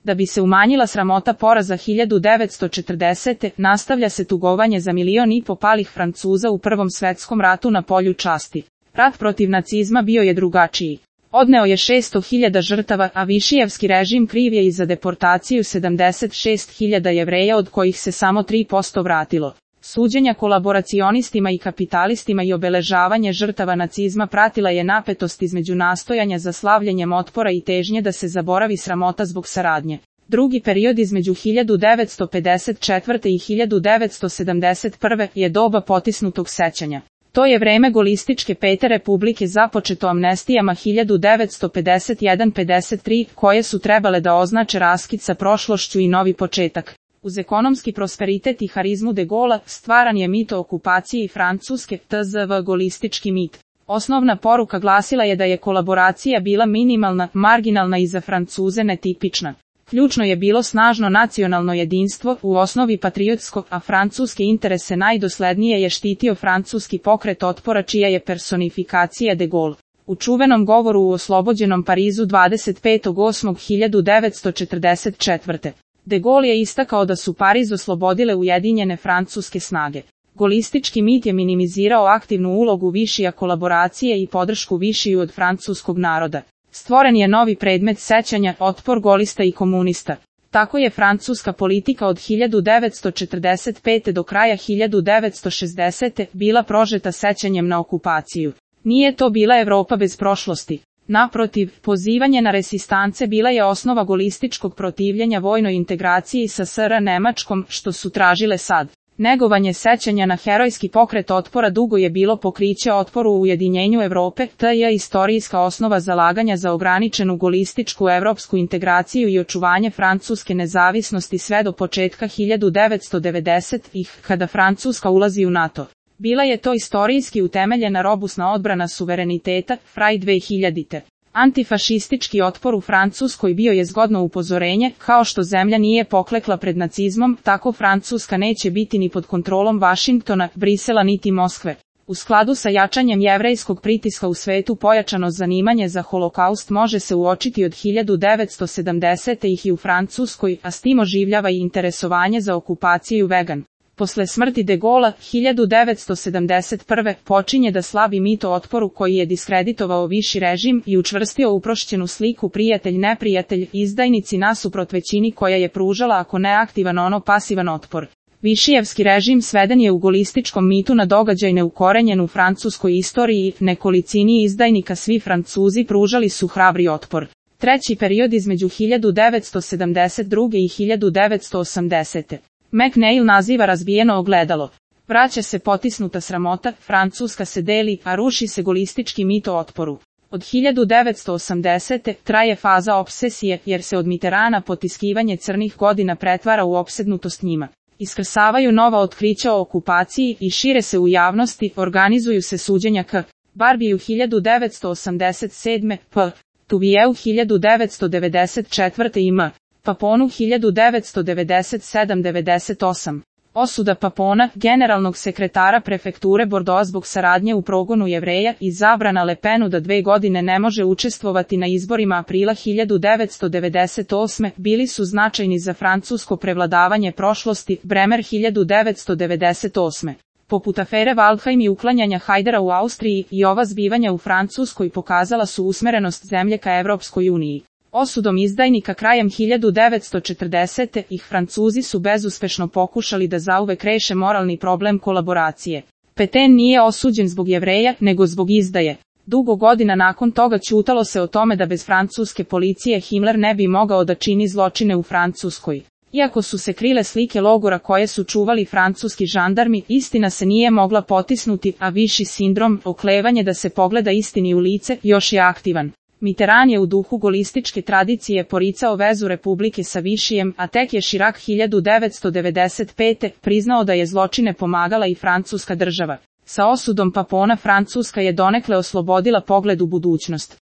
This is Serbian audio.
Da bi se umanjila sramota poraza 1940. nastavlja se tugovanje za 1,5 miliona palih Francuza u Prvom svetskom ratu na polju časti. Rat protiv nacizma bio je drugačiji. Odneo je 600.000 žrtava, a Višijevski režim kriv je i za deportaciju 76.000 Jevreja, od kojih se samo 3% vratilo. Suđenja kolaboracionistima i kapitalistima i obeležavanje žrtava nacizma pratila je napetost između nastojanja za slavljenjem otpora i težnje da se zaboravi sramota zbog saradnje. Drugi period između 1954. i 1971. je doba potisnutog sećanja. To je vreme golističke Pete republike započeto amnestijama 1951-53, koje su trebale da označe raskid sa prošlošću i novi početak. Uz ekonomski prosperitet i harizmu de Gaulea, stvaran je mit o okupaciji Francuske, tzv. Golistički mit. Osnovna poruka glasila je da je kolaboracija bila minimalna, marginalna i za Francuze netipična. Ključno je bilo snažno nacionalno jedinstvo, u osnovi patriotsko, a francuske interese najdoslednije je štitio francuski pokret otpora, čija je personifikacija de Gaulle. U čuvenom govoru u oslobođenom Parizu 25.8.1944. De Gaulle je istakao da su Pariz oslobodile ujedinjene francuske snage. Golistički mit je minimizirao aktivnu ulogu Višija kolaboracije i podršku Višiju od francuskog naroda. Stvoren je novi predmet sećanja, otpor golista i komunista. Tako je francuska politika od 1945. do kraja 1960. bila prožeta sećanjem na okupaciju. Nije to bila Evropa bez prošlosti. Naprotiv, pozivanje na resistance bila je osnova golističkog protivljenja vojnoj integraciji sa SR Nemačkom, što su tražile sad. Negovanje sećanja na herojski pokret otpora dugo je bilo pokriće otporu u ujedinjenju Evrope, te je istorijska osnova zalaganja za ograničenu golističku evropsku integraciju i očuvanje francuske nezavisnosti sve do početka 1990-ih, kada Francuska ulazi u NATO. Bila je to istorijski utemeljena robusna odbrana suvereniteta, fraj 2000. Antifašistički otpor u Francuskoj bio je zgodno upozorenje, kao što zemlja nije poklekla pred nacizmom, tako Francuska neće biti ni pod kontrolom Vašingtona, Brisela niti Moskve. U skladu sa jačanjem jevrejskog pritiska u svetu pojačano zanimanje za holokaust može se uočiti od 1970-ih i u Francuskoj, a s tim oživljava i interesovanje za okupaciju vegan. Posle smrti de Gaulea, 1971. počinje da slavi mit o otporu koji je diskreditovao viši režim i učvrstio uprošćenu sliku prijatelj-neprijatelj, izdajnici nasuprot većini koja je pružala ako ne aktivan ono pasivan otpor. Višijevski režim sveden je u golističkom mitu na događaj neukorenjen u francuskoj istoriji, nekolicini izdajnika svi Francuzi pružali su hrabri otpor. Treći period između 1972. i 1980. McNeill naziva razbijeno ogledalo. Vraća se potisnuta sramota, Francuska se deli, a ruši se golistički mit o otporu. Od 1980. traje faza opsesije, jer se od Mitterranda potiskivanje crnih godina pretvara u opsednutost njima. Iskrsavaju nova otkrića o okupaciji i šire se u javnosti, organizuju se suđenja k. Barbiju 1987. p. Tuvijeu 1994. i m. Paponu 1997-98. Osuda Papona, generalnog sekretara prefekture Bordeaux zbog saradnje u progonu Jevreja, i zabrana Le Penu da 2 godine ne može učestvovati na izborima aprila 1998. bili su značajni za francusko prevladavanje prošlosti, Bremer 1998. Poput afere Waldheim i uklanjanja Hajdara u Austriji, i ova zbivanja u Francuskoj pokazala su usmerenost zemlje ka Evropskoj uniji. Osudom izdajnika krajem 1940. ih Francuzi su bezuspešno pokušali da zauvek reše moralni problem kolaboracije. Pétain nije osuđen zbog Jevreja, nego zbog izdaje. Dugo godina nakon toga ćutalo se o tome da bez francuske policije Himmler ne bi mogao da čini zločine u Francuskoj. Iako su se krile slike logora koje su čuvali francuski žandarmi, istina se nije mogla potisnuti, a viši sindrom, oklevanje da se pogleda istini u lice, još je aktivan. Mitterrand je u duhu golističke tradicije poricao vezu Republike sa Višijem, a tek je Chirac 1995. priznao da je zločine pomagala i francuska država. Sa osudom Papona Francuska je donekle oslobodila pogled u budućnost.